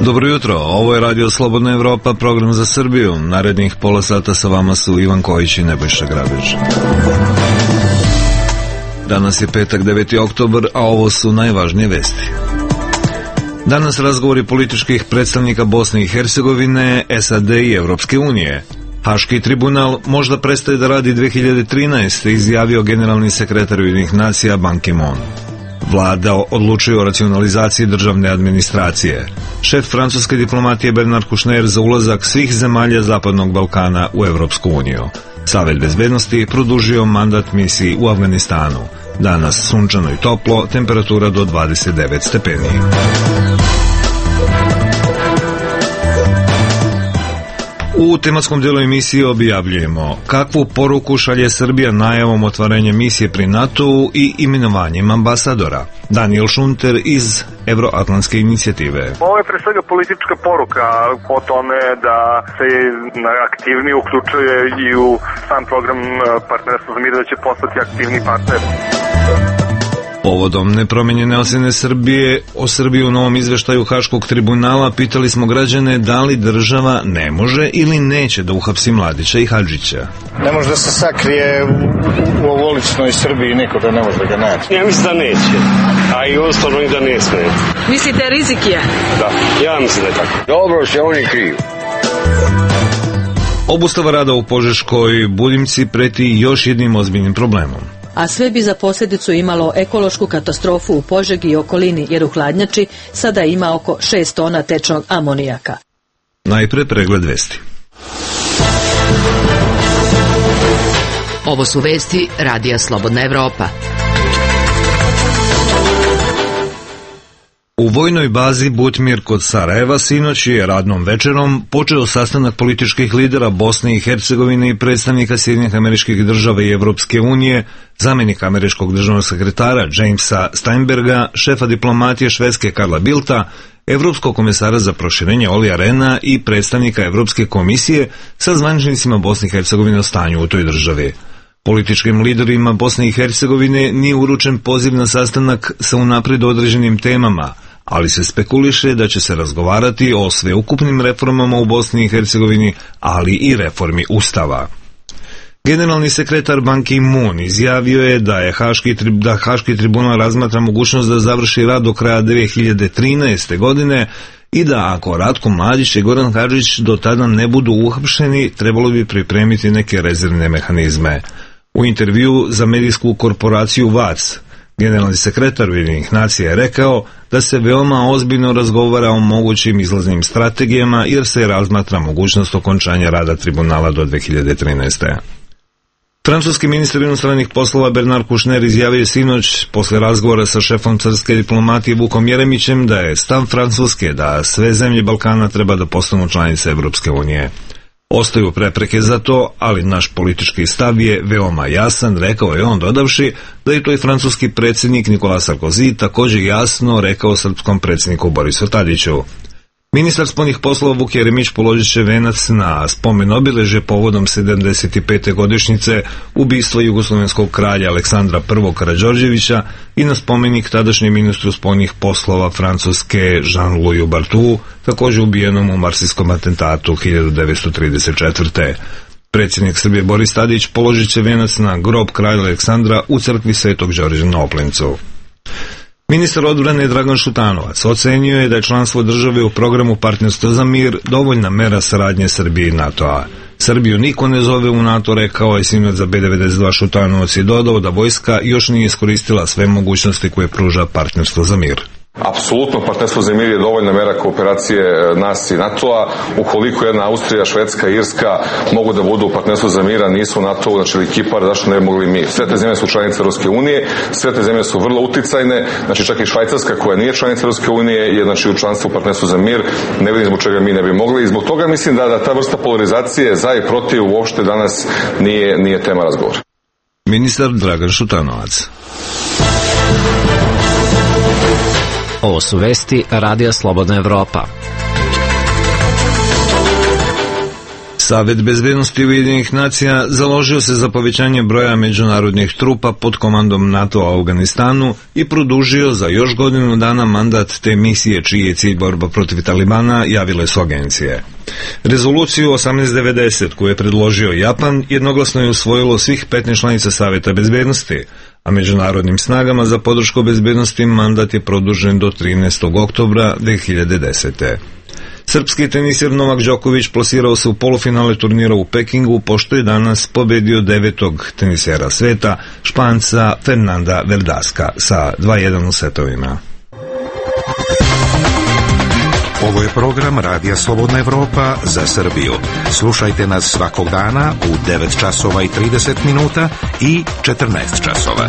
Dobro jutro, ovo je Radio Slobodna Evropa, program za Srbiju. Narednih pola sata sa vama su Ivan Kojić i Nebojša Grabić. Danas je petak 9. oktobar, a ovo su najvažnije vesti. Danas razgovori političkih predstavnika Bosne i Hercegovine, SAD i Evropske unije. Haški tribunal možda prestaje da radi 2013. izjavio generalni sekretar Ujedinjenih nacija Ban Ki-moon. Vlada odlučuje o racionalizaciji državne administracije. Šef francuske diplomatije Bernard Kouchner za ulazak svih zemalja Zapadnog Balkana u Evropsku uniju. Savet bezbednosti produžio mandat misiji u Afganistanu. Danas sunčano i toplo, temperatura do 29 stepeni. U tematskom dijelu emisije objavljujemo kakvu poruku šalje Srbija najavom otvaranja misije pri NATO-u i imenovanjem ambasadora. Daniel Šunter iz Evroatlantske inicijative. Ovo je pre svega politička poruka o tome da se aktivnije uključuje i u sam program partnerstva za mir, da će postati aktivni partner. Povodom nepromenjene ocjene Srbije o Srbiji u novom izveštaju Haškog tribunala pitali smo građane da li država ne može ili neće da uhapsi Mladića i Hadžića. Ne može da se sakrije u ovoličnoj Srbiji, niko da ne može da ga naći. Ja mislim da neće, a i ostalo i da ne sme. Mislite rizik je? Da, ja mislim da je tako. Dobro se oni kriju. Obustava rada u Požeškoj Buljimci preti još jednim ozbiljnim problemom. A sve bi za posljedicu imalo ekološku katastrofu u Požegi i okolini, jer u hladnjači sada ima oko 6 tona tečnog amonijaka. Najpre pregled vesti. Ovo su vesti Radija Slobodna Evropa. U vojnoj bazi Butmir kod Sarajeva sinoć je radnom večerom počeo sastanak političkih lidera Bosne i Hercegovine i predstavnika Sjedinjenih Američkih Država i Evropske unije, zamjenika američkog državnog sekretara Jamesa Steinberga, šefa diplomatije Švedske Karla Bildta, evropskog komesara za proširenje Olija Rehna i predstavnika Evropske komisije sa zvaničnicima Bosne i Hercegovine o stanju u toj državi. Političkim liderima Bosne i Hercegovine nije uručen poziv na sastanak sa unaprijed određenim temama, ali se spekuliše da će se razgovarati o sveukupnim reformama u Bosni i Hercegovini, ali i reformi Ustava. Generalni sekretar Ban Ki-moon izjavio je da Haški tribunal razmatra mogućnost da završi rad do kraja 2013. godine i da ako Ratko Mladić i Goran Hadžić do tada ne budu uhapšeni, trebalo bi pripremiti neke rezervne mehanizme. U intervju za medijsku korporaciju VAC, generalni sekretar Ujedinjenih nacija je rekao da se veoma ozbiljno razgovara o mogućim izlaznim strategijama jer se razmatra mogućnost okončanja rada tribunala do 2013. Francuski ministar inostranih poslova Bernard Kouchner izjavio sinoć posle razgovora sa šefom carske diplomatije Vukom Jeremićem da je stav Francuske da sve zemlje Balkana treba da postanu članice Evropske unije. Ostaju prepreke za to, ali naš politički stav je veoma jasan, rekao je on dodavši da je to i francuski predsjednik Nicolas Sarkozy također jasno rekao srpskom predsjedniku Borisu Tadiću. Ministar spoljnih poslova Vuk Jeremić položit će venac na spomen obilježje povodom 75. godišnjice ubistva jugoslovenskog kralja Aleksandra I. Karađorđevića i na spomenik tadašnjem ministru spoljnih poslova Francuske Jean-Louis Barthou, također ubijenom u marsijskom atentatu 1934. Predsjednik Srbije Boris Tadić položit će venac na grob kralja Aleksandra u crkvi Svetog Đorđa na Oplencu. Ministar odbrane Dragan Šutanovac ocenio je da je članstvo države u programu Partnerstva za mir dovoljna mera saradnje Srbije i NATO-a. Srbiju niko ne zove u NATO, rekao je sinoć za B92 Šutanovac i dodao da vojska još nije iskoristila sve mogućnosti koje pruža Partnerstvo za mir. Apsolutno, partnerstvo za mir je dovoljna mera kooperacije nas i NATO-a. Ukoliko jedna Austrija, Švedska, Irska mogu da budu u partnerstvu za mira, nisu u NATO-u, znači ili Kipar, zašto ne bi mogli mi? Sve te zemlje su članice Europske unije, sve te zemlje su vrlo uticajne, znači čak i Švajcarska koja nije članica Europske unije je znači u članstvu u partnerstvu za mir, ne vidim zbog čega mi ne bi mogli i zbog toga mislim da ta vrsta polarizacije za i protiv uopšte danas nije tema razgovora. Ministar Dragan Šutanovac. Ovo su vesti Radija Slobodna Evropa. Savet bezbednosti Ujedinjenih nacija založio se za povećanje broja međunarodnih trupa pod komandom NATO-a u Afganistanu i produžio za još godinu dana mandat te misije čiji je cilj borba protiv Talibana, javile su agencije. Rezoluciju 1890 koju je predložio Japan jednoglasno je usvojilo svih 15 članica Saveta bezbednosti, a međunarodnim snagama za podršku bezbednosti mandat je produžen do 13. oktobra 2010. Srpski tenisir Novak Đoković plasirao se u polufinale turnira u Pekingu, pošto je danas pobedio 9. tenisera sveta, Španca Fernanda Verdaska, sa 2:1 u setovima. Ovo je program Radija Slobodna Evropa za Srbiju. Slušajte nas svakog dana u 9 časova i 30 minuta i 14 časova.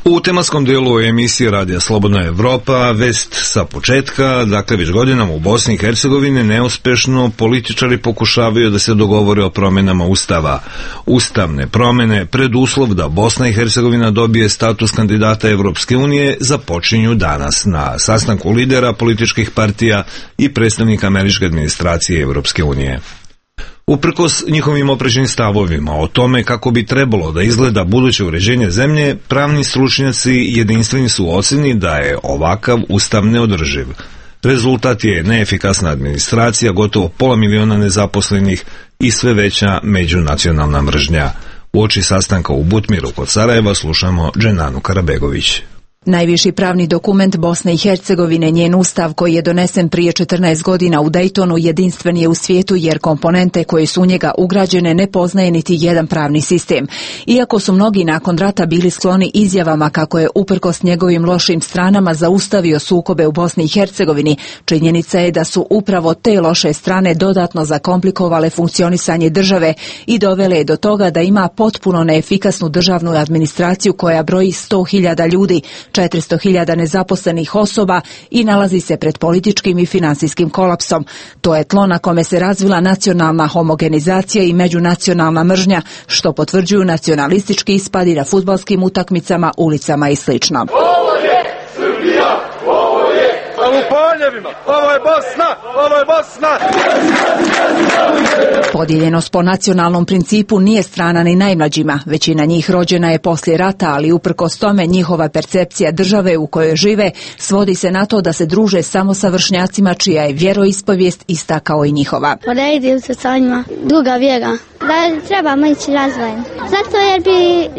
U tematskom dijelu emisije Radija Slobodna Evropa vest sa početka, dakle već godinama u Bosni i Hercegovini neuspešno političari pokušavaju da se dogovore o promjenama Ustava. Ustavne promjene, preduslov da Bosna i Hercegovina dobije status kandidata Evropske unije, započinju danas na sastanku lidera političkih partija i predstavnika američke administracije Evropske unije. Uprkos njihovim oprečnim stavovima o tome kako bi trebalo da izgleda buduće uređenje zemlje, pravni stručnjaci jedinstveni su u ocjeni da je ovakav ustav neodrživ. Rezultat je neefikasna administracija, gotovo 500.000 nezaposlenih i sve veća međunacionalna mržnja. Uoči sastanka u Butmiru kod Sarajeva slušamo Dženanu Karabegović. Najviši pravni dokument Bosne i Hercegovine, njen ustav koji je donesen prije 14 godina u Dejtonu, jedinstven je u svijetu jer komponente koje su u njega ugrađene ne poznaje niti jedan pravni sistem. Iako su mnogi nakon rata bili skloni izjavama kako je uprkos njegovim lošim stranama zaustavio sukobe u Bosni i Hercegovini, činjenica je da su upravo te loše strane dodatno zakomplikovale funkcionisanje države i dovele do toga da ima potpuno neefikasnu državnu administraciju koja broji 100.000 ljudi, 400.000 nezaposlenih osoba i nalazi se pred političkim i financijskim kolapsom. To je tlo na kome se razvila nacionalna homogenizacija i međunacionalna mržnja, što potvrđuju nacionalistički ispadi na fudbalskim utakmicama, ulicama i sl. Ovo je Srbija, ovo je u Poljevima, ovo je Bosna, ovo je Bosna. Podijeljenost po nacionalnom principu nije strana ni najmlađima. Većina njih rođena je poslije rata, ali uprkos tome njihova percepcija države u kojoj žive svodi se na to da se druže samo sa vršnjacima čija je vjeroispovijest ista kao i njihova. Poredim se sa njima, druga vjera, da trebamo ići razvojem. Zato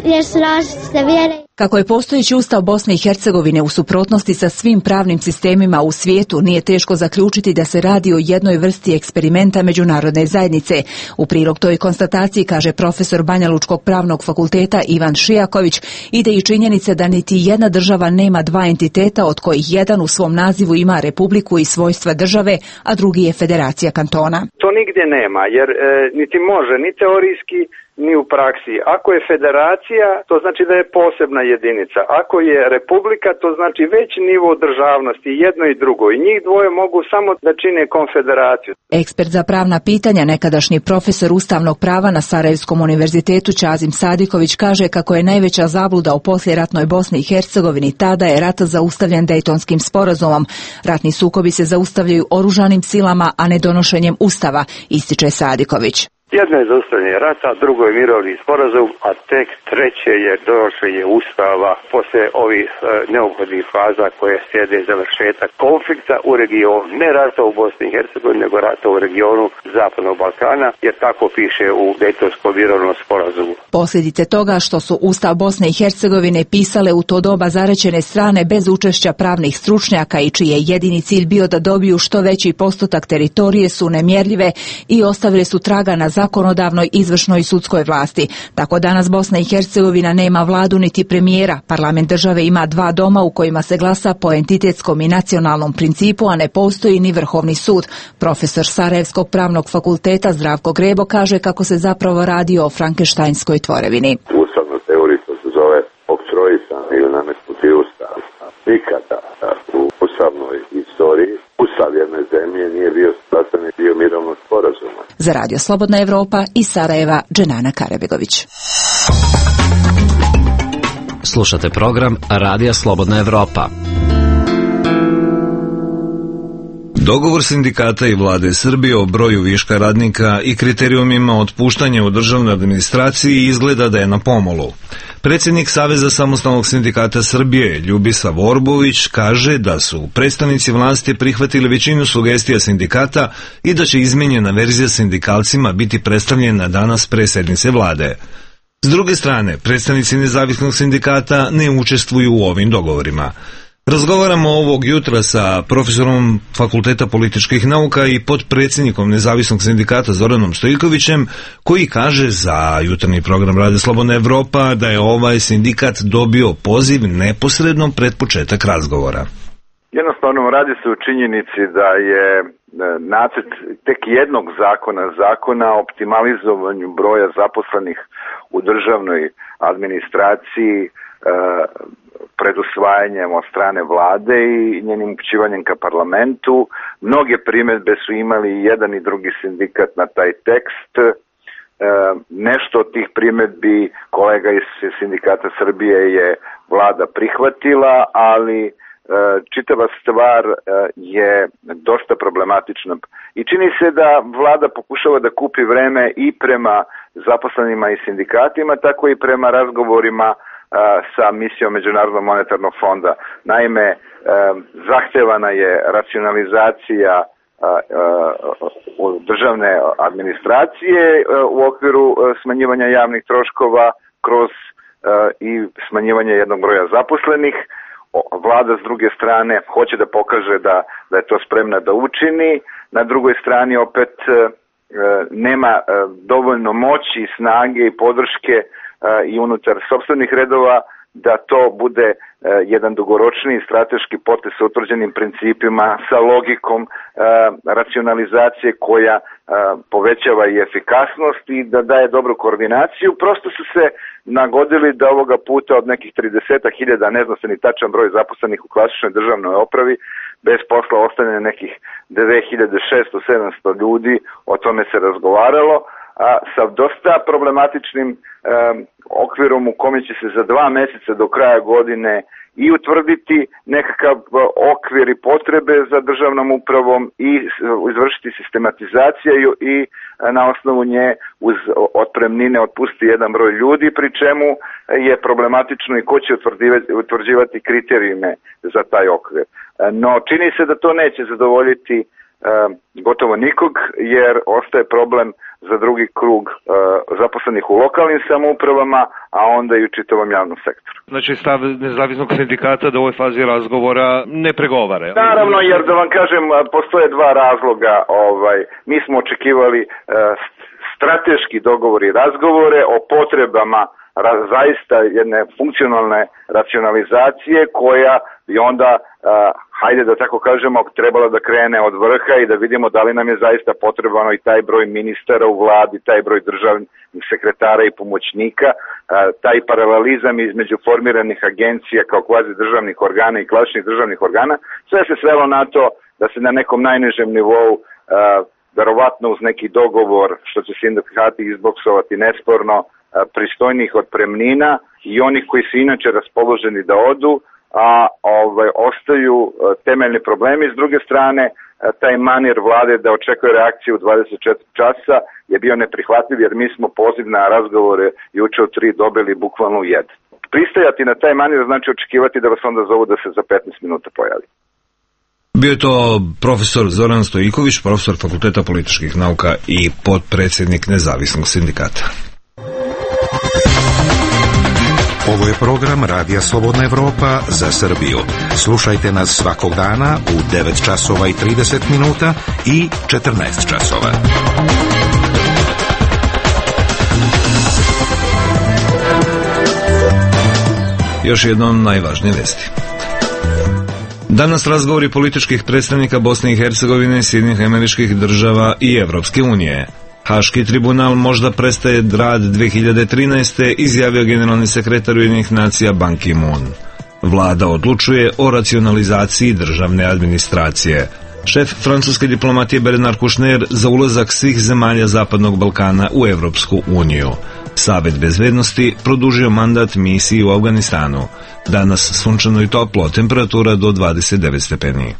jer su različite vjere. Kako je postojeći ustav Bosne i Hercegovine u suprotnosti sa svim pravnim sistemima u svijetu, nije teško zaključiti da se radi o jednoj vrsti eksperimenta međunarodne zajednice. U prilog toj konstataciji, kaže profesor Banjalučkog pravnog fakulteta Ivan Šijaković, ide i činjenica da niti jedna država nema dva entiteta od kojih jedan u svom nazivu ima republiku i svojstva države, a drugi je federacija kantona. To nigdje nema, jer niti može, ni teorijski, ni u praksi. Ako je federacija, to znači da je posebna jedinica. Ako je republika, to znači veći nivo državnosti, jedno i drugo. I njih dvoje mogu samo da čine konfederaciju. Ekspert za pravna pitanja, nekadašnji profesor ustavnog prava na Sarajevskom univerzitetu Čazim Sadiković kaže kako je najveća zabluda u poslijeratnoj Bosni i Hercegovini ta da je rat zaustavljen Dejtonskim sporazumom. Ratni sukobi se zaustavljaju oružanim silama, a ne donošenjem ustava, ističe Sadiković. Jedno je zaustavljanje rata, drugo je mirovni sporazum, a tek treće je donošenje ustava poslije ovih neophodnih faza koje slijede završetak konflikta u regionu, ne rata u Bosni i Hercegovini, nego rata u regionu Zapadnog Balkana, jer tako piše u Dejtonskom mirovnom sporazumu. Posljedice toga što su ustav Bosne i Hercegovine pisale u to doba zarečene strane bez učešća pravnih stručnjaka i čiji je jedini cilj bio da dobiju što veći postotak teritorije su nemjerljive i ostavile su traga na zakonodavnoj, izvršnoj i sudskoj vlasti. Tako danas Bosna i Hercegovina nema vladu niti premijera. Parlament države ima dva doma u kojima se glasa po entitetskom i nacionalnom principu, a ne postoji ni Vrhovni sud. Profesor Sarajevskog pravnog fakulteta Zdravko Grebo kaže kako se zapravo radi o frankenštajnskoj tvorevini. Ustavna teorija se zove oktroisan ili nametnuti ustav. Nikada u ustavnoj istoriji ustav jedne zemlje nije bio sastavni dio mirovnog sporazuma. Za Radio Slobodna Evropa iz Sarajeva, Dženana Karabegović. Slušate program Radija Slobodna Evropa. Dogovor sindikata i vlade Srbije o broju viška radnika i kriterijumima otpuštanja u državnoj administraciji izgleda da je na pomolu. Predsjednik Saveza samostalnog sindikata Srbije, Ljubisav Orbović, kaže da su predstavnici vlasti prihvatili većinu sugestija sindikata i da će izmenjena verzija sindikalcima biti predstavljena danas pre sednice vlade. S druge strane, predstavnici nezavisnog sindikata ne učestvuju u ovim dogovorima. Razgovaramo ovog jutra sa profesorom Fakulteta političkih nauka i potpredsjednikom nezavisnog sindikata Zoranom Stojikovićem, koji kaže za jutarnji program Radio Slobodna Evropa da je ovaj sindikat dobio poziv neposredno pred početak razgovora. Jednostavno radi se o činjenici da je nacrt tek jednog zakona o optimalizovanju broja zaposlenih u državnoj administraciji pred usvajanjem od strane vlade i njenim upućivanjem ka parlamentu. Mnoge primjedbe su imali jedan i drugi sindikat na taj tekst. Nešto od tih primjedbi kolega iz sindikata Srbije je vlada prihvatila, ali čitava stvar je dosta problematična. I čini se da vlada pokušava da kupi vreme i prema zaposlenima i sindikatima, tako i prema razgovorima sa misijom Međunarodnog monetarnog fonda. Naime, zahtevana je racionalizacija državne administracije u okviru smanjivanja javnih troškova kroz i smanjivanje jednog broja zaposlenih. Vlada s druge strane hoće da pokaže da je to spremna da učini. Na drugoj strani opet nema dovoljno moći, snage i podrške i unutar sopstvenih redova da to bude jedan dugoročni strateški potez sa utvrđenim principima, sa logikom racionalizacije koja povećava i efikasnost i da daje dobru koordinaciju. Prosto su se nagodili da ovoga puta od nekih 30.000, ne zna se ni tačan broj zaposlenih u klasičnoj državnoj opravi, bez posla ostane nekih 2.600-700 ljudi, o tome se razgovaralo, sa dosta problematičnim okvirom u kome će se za 2 mjeseca do kraja godine i utvrditi nekakav okvir i potrebe za državnom upravom i izvršiti sistematizaciju i na osnovu nje uz otpremnine otpustiti jedan broj ljudi, pri čemu je problematično i ko će utvrđivati kriterijume za taj okvir. No čini se da to neće zadovoljiti gotovo nikog, jer ostaje problem za drugi krug zaposlenih u lokalnim samoupravama, a onda i u čitavom javnom sektoru. Znači stav nezavisnog sindikata da u ovoj fazi razgovora ne pregovara? Naravno, jer da vam kažem, postoje dva razloga. Mi smo očekivali strateški dogovor i razgovore o potrebama zaista jedne funkcionalne racionalizacije koja bi onda, hajde da tako kažemo, trebala da krene od vrha i da vidimo da li nam je zaista potrebano i taj broj ministara u vladi, taj broj državnih sekretara i pomoćnika, taj paralelizam između formiranih agencija kao kvazi državnih organa i klasičnih državnih organa. Sve se svelo na to da se na nekom najnižem nivou, verovatno uz neki dogovor, što će sindikati izboksovati nesporno, pristojnih otpremnina i onih koji su inače raspoloženi da odu, a ostaju temeljni problemi. S druge strane, taj manir vlade da očekuje reakciju u 24 časa je bio neprihvatljiv, jer mi smo poziv na razgovore juče od 3 dobili bukvalno u 1. Pristajati na taj manir znači očekivati da vas onda zovu da se za 15 minuta pojavi. Bio je to profesor Zoran Stojiković, profesor Fakulteta političkih nauka i potpredsjednik nezavisnog sindikata. Ovo je program Radija Slobodna Evropa za Srbiju. Slušajte nas svakog dana u 9 časova i 30 minuta i 14 časova. Još jednom najvažnije vesti. Danas razgovori političkih predstavnika Bosne i Hercegovine, Sjedinjenih Američkih Država i Evropske unije. Haški tribunal možda prestaje rad 2013. izjavio generalni sekretar Ujedinjenih nacija Ban Ki-moon. Vlada odlučuje o racionalizaciji državne administracije. Šef francuske diplomatije Bernard Kouchner za ulazak svih zemalja Zapadnog Balkana u Evropsku uniju. Savet bezbednosti produžio mandat misiji u Afganistanu. Danas sunčano i toplo, temperatura do 29 stepeni.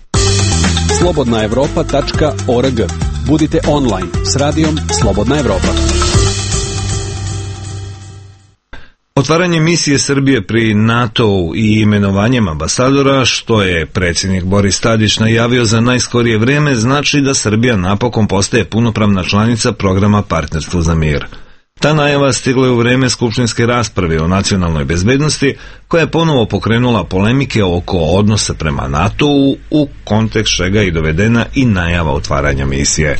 slobodnaevropa.org. Budite online s radijom Slobodna Evropa. Otvaranje misije Srbije pri NATO-u i imenovanjem ambasadora, što je predsjednik Boris Tadić najavio za najskorije vrijeme, znači da Srbija napokon postaje punopravna članica programa Partnerstvo za mir. Ta najava stigla je u vrijeme skupštinske rasprave o nacionalnoj bezbednosti, koja je ponovo pokrenula polemike oko odnosa prema NATO-u, u kontekst čega je dovedena i najava otvaranja misije.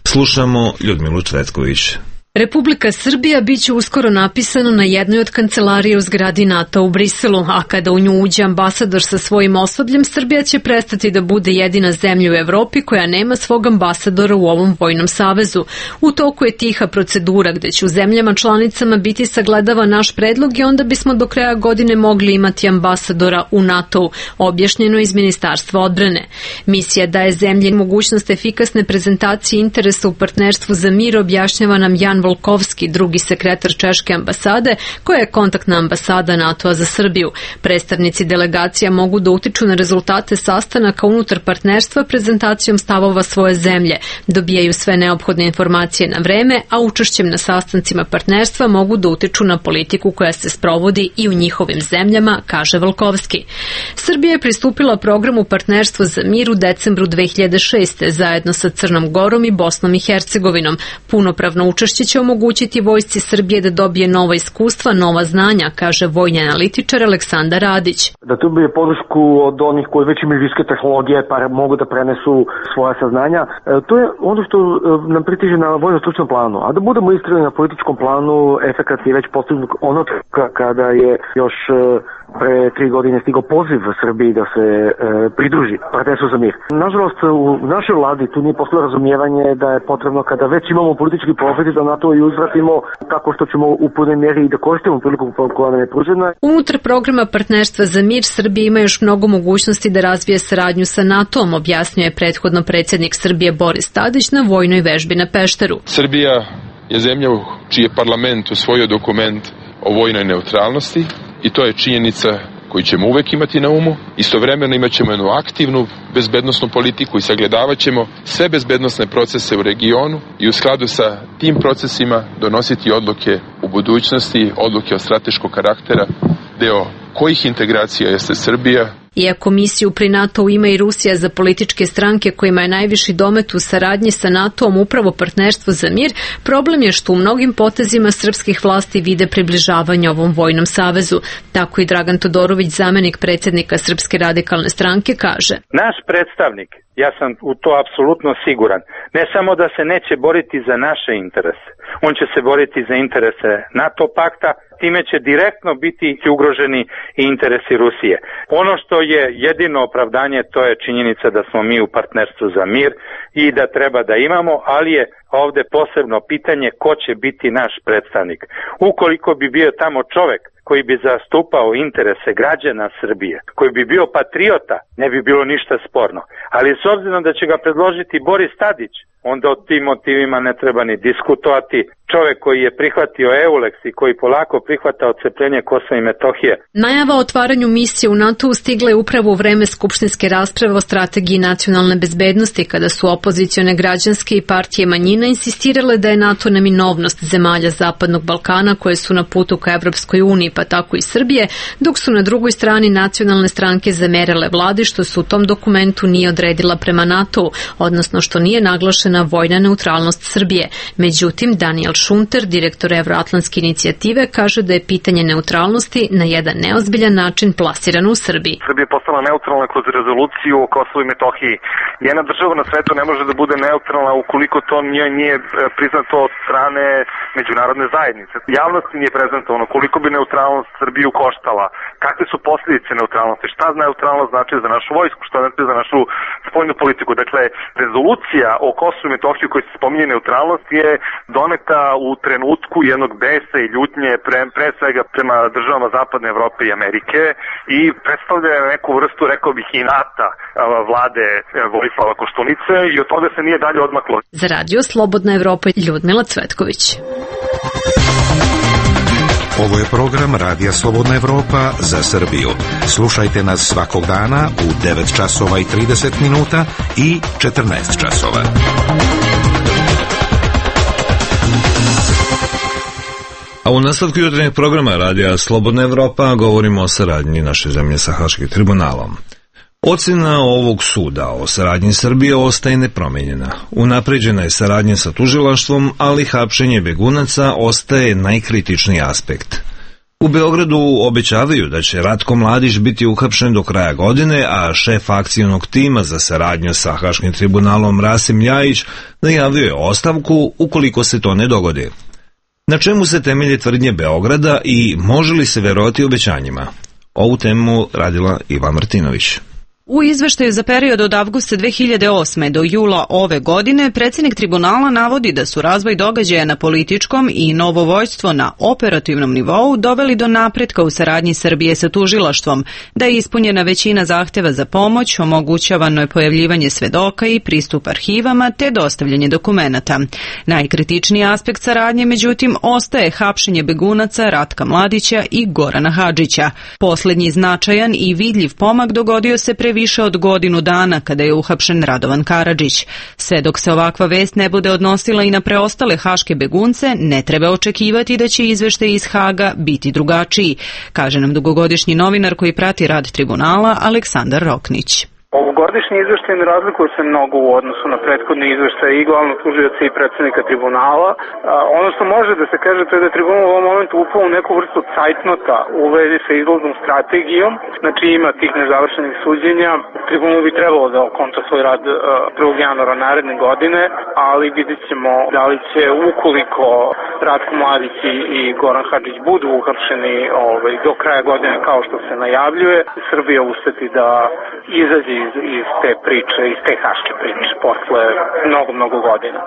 Slušamo Ljudmilu Cvetković. Republika Srbija biće uskoro napisano na jednoj od kancelarije u zgradi NATO u Briselu, a kada u nju uđe ambasador sa svojim osobljem, Srbija će prestati da bude jedina zemlja u Evropi koja nema svog ambasadora u ovom vojnom savezu. U toku je tiha procedura gde će u zemljama članicama biti sagledava naš predlog i onda bismo do kraja godine mogli imati ambasadora u NATO-u, objašnjeno iz Ministarstva odbrane. Misija daje zemlji mogućnost efikasne prezentacije interesa u partnerstvu za mir, objašnjava nam Jan Volkovski, drugi sekretar Češke ambasade, koja je kontaktna ambasada NATO-a za Srbiju. Predstavnici delegacija mogu da utiču na rezultate sastanaka unutar partnerstva prezentacijom stavova svoje zemlje, dobijaju sve neophodne informacije na vreme, a učešćem na sastancima partnerstva mogu da utiču na politiku koja se sprovodi i u njihovim zemljama, kaže Volkovski. Srbija je pristupila programu Partnerstvo za mir u decembru 2006. zajedno sa Crnom Gorom i Bosnom i Hercegovinom. Punopravno učešće će omogućiti vojsci Srbije da dobije nova iskustva, nova znanja, kaže vojni analitičar Aleksandar Radić. Da dobije podršku od onih koji već imaju visoke tehnologije pa mogu da prenesu svoja saznanja. To je ono što nam pritiže na vojno-stručnom planu. A da budemo iskreni, na političkom planu, efekat je već postignut onog kada je još pre 3 godine stigao poziv Srbiji da se pridruži Partnerstvu za mir. Nažalost, u našoj vladi tu nije postojalo razumijevanje da je potrebno kada već imamo politički profit da na to i uzvratimo tako što ćemo u punoj mjeri i da koristimo priliku koja nam je pružena. Unutar programa Partnerstva za mir Srbija ima još mnogo mogućnosti da razvije saradnju sa NATO-om, objasnio je prethodno predsjednik Srbije Boris Tadić na vojnoj vežbi na Pešteru. Srbija je zemlja čiji je parlament usvojio dokument o vojnoj neutralnosti i to je činjenica koju ćemo uvek imati na umu. Istovremeno imat ćemo jednu aktivnu bezbednosnu politiku i sagledavat ćemo sve bezbednosne procese u regionu i u skladu sa tim procesima donositi odluke u budućnosti, odluke od strateškog karaktera, deo kojih integracija jeste Srbija. Iako misiju pri NATO-u ima i Rusija za političke stranke kojima je najviši domet u saradnji sa NATO-om upravo Partnerstvo za mir, problem je što u mnogim potezima srpskih vlasti vide približavanje ovom vojnom savezu. Tako i Dragan Todorović, zamenik predsjednika Srpske radikalne stranke, kaže. Naš predstavnik, ja sam u to apsolutno siguran, ne samo da se neće boriti za naše interese, on će se boriti za interese NATO pakta, time će direktno biti ugroženi i interesi Rusije. Ono što je jedino opravdanje, to je činjenica da smo mi u Partnerstvu za mir i da treba da imamo, ali je ovde posebno pitanje ko će biti naš predstavnik. Ukoliko bi bio tamo čovek koji bi zastupao interese građana Srbije, koji bi bio patriota, ne bi bilo ništa sporno. Ali s obzirom da će ga predložiti Boris Tadić, onda o tim motivima ne treba ni diskutovati. Čovjek koji je prihvatio EULEX i koji polako prihvata odcepljenje Kosova i Metohije. Najava o otvaranju misije u NATO stigla je upravo u vreme skupštinske rasprave o strategiji nacionalne bezbednosti, kada su opozicione građanske i partije manjina insistirale da je NATO neminovnost zemalja Zapadnog Balkana koje su na putu ka Evropskoj uniji, pa tako i Srbije, dok su na drugoj strani nacionalne stranke zamerale vladi što se u tom dokumentu nije odredila prema NATO-u, odnosno što nije naglašena vojna neutralnost Srbije. Međutim, Daniel Šunter, direktor Evroatlantske inicijative, kaže da je pitanje neutralnosti na jedan neozbiljan način plasirano u Srbiji. Srbija je postala neutralna kroz rezoluciju o Kosovu i Metohiji. Jedna država na svetu ne može da bude neutralna ukoliko to nije priznato od strane međunarodne zajednice. Javnosti nije prezentovano koliko bi neutralnost Srbiju koštala, kakve su posljedice neutralnosti, šta neutralnost znači za našu vojsku, šta znači za našu spoljnu politiku. Dakle, rezolucija o Kosovu i Metohiji koji se spominje neutralnost je doneta u trenutku jednog besa i ljutnje pre svega prema državama Zapadne Evrope i Amerike i predstavlja neku vrstu, rekao bih, inata vlade Vojislava Koštunice i od toga se nije dalje odmaklo. Za radio Slobodna Evropa, Ljudmila Cvetković. Ovo je program Radija Slobodna Evropa za Srbiju. Slušajte nas svakog dana u 9 časova i 30 minuta i 14 časova. A u nastavku jutarnjeg programa Radija Slobodna Evropa govorimo o saradnji naše zemlje sa Haškim tribunalom. Ocjena ovog suda o saradnji Srbije ostaje nepromenjena. Unapređena je saradnja sa tužilaštvom, ali hapšenje begunaca ostaje najkritičniji aspekt. U Beogradu obećavaju da će Ratko Mladić biti uhapšen do kraja godine, a šef akcionog tima za saradnju sa Haškim tribunalom Rasim Ljajić najavio je ostavku ukoliko se to ne dogodi. Na čemu se temelje tvrdnje Beograda i može li se verovati obećanjima? Ovu temu radila Iva Martinović. U izveštaju za period od avgusta 2008. do jula ove godine predsjednik tribunala navodi da su razvoj događaja na političkom i novo vođstvo na operativnom nivou doveli do napretka u saradnji Srbije sa tužilaštvom, da je ispunjena većina zahteva za pomoć, omogućavano je pojavljivanje svedoka i pristup arhivama te dostavljanje dokumenata. Najkritičniji aspekt saradnje, međutim, ostaje hapšenje begunaca Ratka Mladića i Gorana Hadžića. Poslednji značajan i vidljiv pomak dogodio se pre više od godinu dana kada je uhapšen Radovan Karadžić. Sve dok se ovakva vest ne bude odnosila i na preostale haške begunce, ne treba očekivati da će izveštaj iz Haga biti drugačiji, kaže nam dugogodišnji novinar koji prati rad tribunala Aleksandar Roknić. Ovogodišnji izveštaj ne razlikuje se mnogo u odnosu na prethodne izveštaje i glavnog tužioca i predsjednika tribunala. Ono što može da se kaže to je da je tribunal u ovom momentu upao u neku vrstu cajtnota u vezi sa izlaznom strategijom, znači ima tih nezavršenih suđenja. Tribunal bi trebalo da okonča svoj rad 1. januara naredne godine, ali vidjet ćemo da li će ukoliko Ratko Mladić i Goran Hadžić budu uhapšeni do kraja godine kao što se najavljuje, Srbija uspeti da izađe iz te priče, iz te haške priče posle mnogo godina.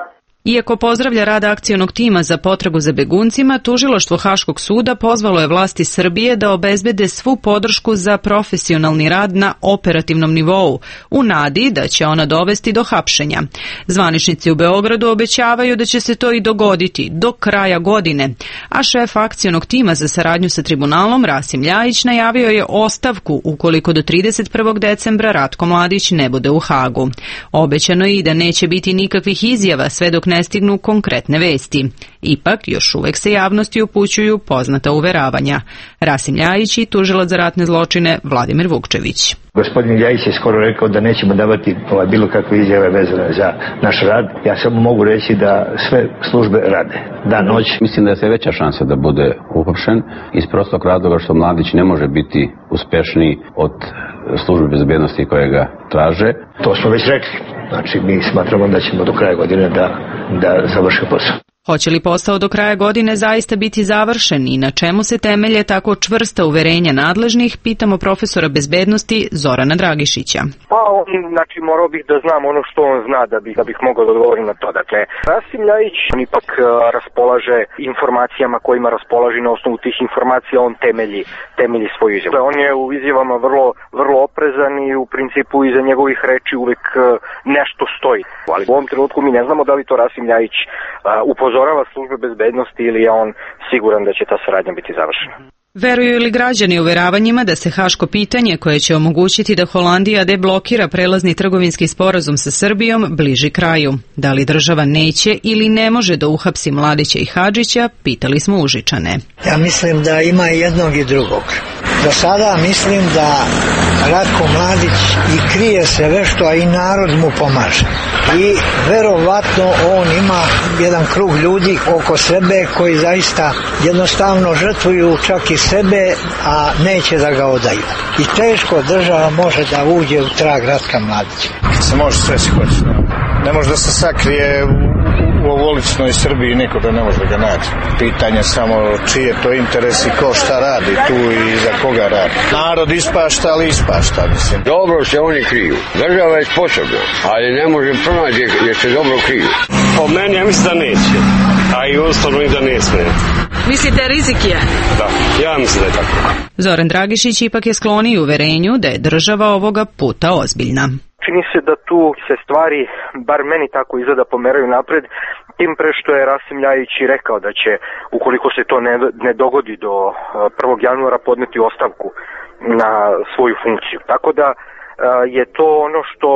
Iako pozdravlja rad akcionog tima za potragu za beguncima, tužilaštvo Haškog suda pozvalo je vlasti Srbije da obezbede svu podršku za profesionalni rad na operativnom nivou, u nadi da će ona dovesti do hapšenja. Zvaničnici u Beogradu obećavaju da će se to i dogoditi do kraja godine, a šef akcionog tima za saradnju sa tribunalom Rasim Ljajić najavio je ostavku ukoliko do 31. decembra Ratko Mladić ne bude u Hagu. Obećano je i da neće biti nikakvih izjava sve dok ne stignu konkretne vesti. Ipak, još uvek se javnosti upućuju poznata uveravanja. Rasim Ljajić i tužilac za ratne zločine Vladimir Vukčević. Gospodin Ljajić je skoro rekao da nećemo davati bilo kakve izjave vezane za naš rad. Ja samo mogu reći da sve službe rade, dan, noć. Mislim da je sve veća šansa da bude uhapšen iz prostog razloga što Mladić ne može biti uspešniji od službe bezbednosti koje ga traže. To smo već rekli. Znači, mi smatramo da ćemo do kraja godine da završi posao. Hoće li posao do kraja godine zaista biti završen i na čemu se temelje tako čvrsta uverenja nadležnih, pitamo profesora bezbednosti Zorana Dragišića. Pa, znači, morao bih da znam ono što on zna da bih mogao da odgovorim na to. Dakle, Rasim Ljajić, on ipak raspolaže informacijama kojima raspolaže, na osnovu tih informacija on temelji svoju izjavu. On je u izjavama vrlo oprezan i u principu iza njegovih reči uvek nešto stoji. Ali u ovom trenutku mi ne znamo da li to Rasim Ljajić upozorava službe bezbednosti ili je on siguran da će ta saradnja biti završena. Veruju li građani uveravanjima da se haško pitanje koje će omogućiti da Holandija deblokira prelazni trgovinski sporazum sa Srbijom bliži kraju? Da li država neće ili ne može da uhapsi Mladića i Hadžića, pitali smo Užičane. Ja mislim da ima i jednog i drugog. Do sada mislim da Ratko Mladić i krije se vešto, a i narod mu pomaže. I verovatno on ima jedan krug ljudi oko sebe koji zaista jednostavno žrtvuju čak i sebe, a neće da ga odaju. I teško država može da uđe u trag Ratka Mladića. Se može sve si hoće. Ne može da se sakrije u ovoličnoj Srbiji, niko da ne može da ga nađe. Pitanje samo čiji je to interes i ko šta radi tu i za koga radi. Narod ispašta, ali ispašta, mislim. Dobro se oni kriju. Država je sposobna, ali ne može pronaći jer se dobro kriju. Po meni, ja mislim da neće. A i ustavno i da ne smije. Mislite, rizik je? Da, ja mislim da je tako. Zoran Dragišić ipak je skloniji uverenju da je država ovoga puta ozbiljna. Čini se da tu se stvari, bar meni tako izgleda, pomeraju napred tim pre što je Rasim Ljajić i rekao da će, ukoliko se to ne dogodi do 1. januara, podneti ostavku na svoju funkciju. Tako da je to ono što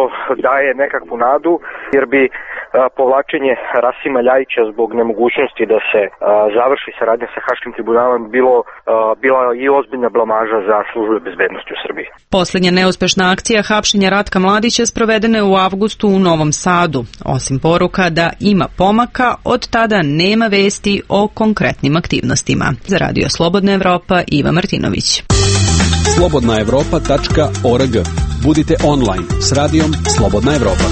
daje nekakvu nadu, jer bi povlačenje Rasima Ljajića zbog nemogućnosti da se završi saradnja sa Haškim tribunalom bila i ozbiljna blamaža za službe bezbednosti u Srbiji. Posljednja neuspešna akcija hapšenja Ratka Mladića sprovedena je u avgustu u Novom Sadu. Osim poruka da ima pomaka, od tada nema vesti o konkretnim aktivnostima. Za Radio Slobodna Evropa, Iva Martinović. slobodnaevropa.org. Budite online s radijom Slobodna Evropa.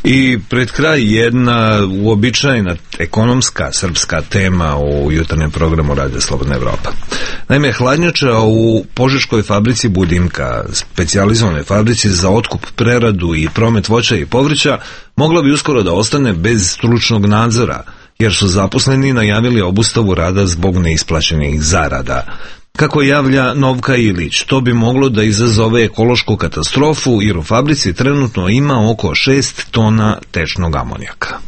I pred kraj jedna uobičajena ekonomska srpska tema u jutarnjem programu Radio Slobodna Evropa. Naime, hladnjača u Požeškoj fabrici Budimka, specijalizovanoj fabrici za otkup, preradu i promet voća i povrća, mogla bi uskoro da ostane bez stručnog nadzora, jer su zaposleni najavili obustavu rada zbog neisplaćenih zarada. Kako javlja Novka Ilić, to bi moglo da izazove ekološku katastrofu, jer u fabrici trenutno ima oko 6 tona tečnog amonijaka.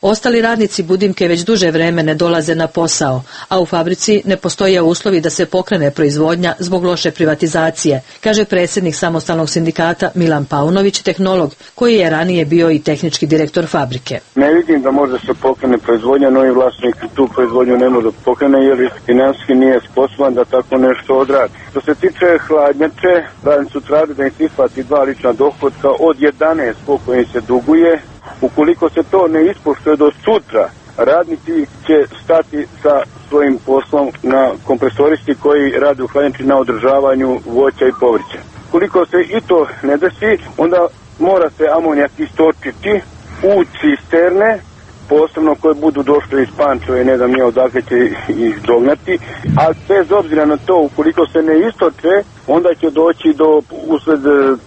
Ostali radnici Budimke već duže vreme ne dolaze na posao, a u fabrici ne postoje uslovi da se pokrene proizvodnja zbog loše privatizacije, kaže predsjednik samostalnog sindikata Milan Paunović, tehnolog, koji je ranije bio i tehnički direktor fabrike. Ne vidim da može se pokrene proizvodnja, novi vlasnik tu proizvodnju ne može pokrene jer financijski nije sposoban da tako nešto odradi. Što se tiče hladnjače, radnici su tražili da im se isplati 2 lična dohotka od 11 koliko im se duguje. Ukoliko se to ne ispoštuje do sutra, radnici će stati sa svojim poslom na kompresoristi koji rade u hladnjači na održavanju voća i povrća. Ukoliko se i to ne desi, onda mora se amonijak istočiti u cisterne, posebno koje budu došle iz Pančeva i ne znam nije odakle će ih dognati, a bez obzira na to, ukoliko se ne istoče, onda će doći do, usled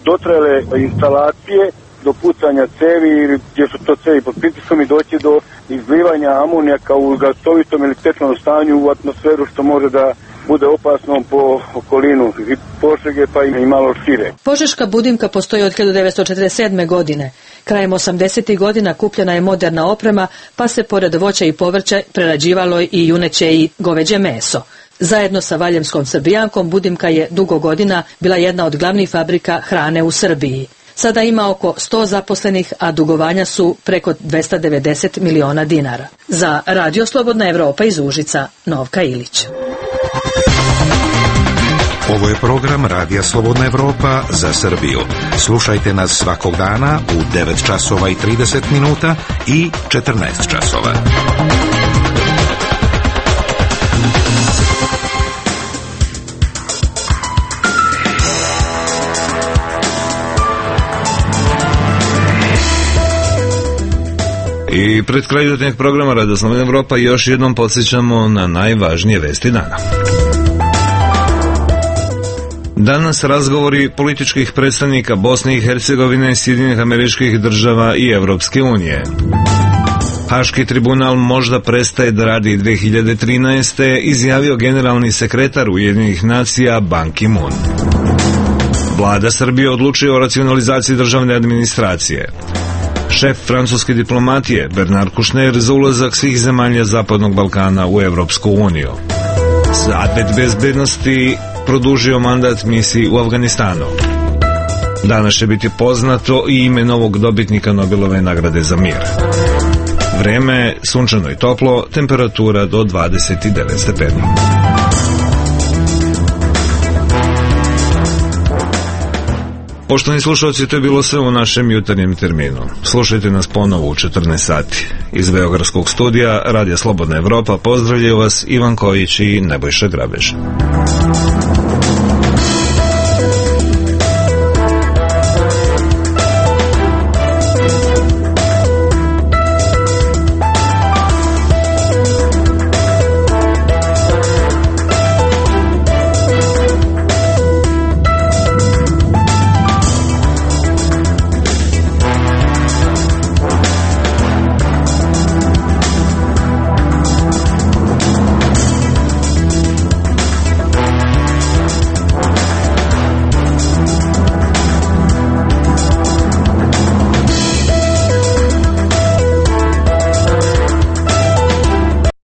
dotrajale instalacije, do pucanja cevi, gdje su to cevi pod pritiskom i doći do izlivanja amonijaka u gasovitom ili tečnom stanju u atmosferu, što može da bude opasno po okolinu i Požege pa i malo šire. Požeška Budimka postoji od 1947. godine. Krajem 80. godina kupljena je moderna oprema, pa se pored voća i povrća prerađivalo i juneće i goveđe meso. Zajedno sa Valjevskom Srbijankom Budimka je dugo godina bila jedna od glavnih fabrika hrane u Srbiji. Sada ima oko 100 zaposlenih, a dugovanja su preko 290 miliona dinara. Za Radio Slobodna Evropa iz Užica, Novka Ilić. Ovo je program Radija Slobodna Evropa za Srbiju. Slušajte nas svakog dana u 9 časova i 30 minuta i 14 časova. I pred kraj jutarnjeg programa Radio Slobodna Evropa još jednom podsjećamo na najvažnije vesti dana. Danas razgovori političkih predstavnika Bosne i Hercegovine, Sjedinjenih Američkih Država i Evropske unije. Haški tribunal možda prestaje da radi 2013. izjavio generalni sekretar Ujedinjenih nacija Ban Ki-moon. Vlada Srbije odlučuje o racionalizaciji državne administracije. Šef francuske diplomatije Bernard Kouchner za ulazak svih zemalja Zapadnog Balkana u Evropsku uniju. Savet bezbednosti produžio mandat misiji u Afganistanu. Danas će biti poznato i ime novog dobitnika Nobelove nagrade za mir. Vreme sunčano i toplo, temperatura do 29 stepeni. Poštovani slušalci, to je bilo sve u našem jutarnjem terminu. Slušajte nas ponovo u 14 sati. Iz Beogradskog studija Radija Slobodna Evropa pozdravljaju vas Ivan Kojić i Nebojša Grabež.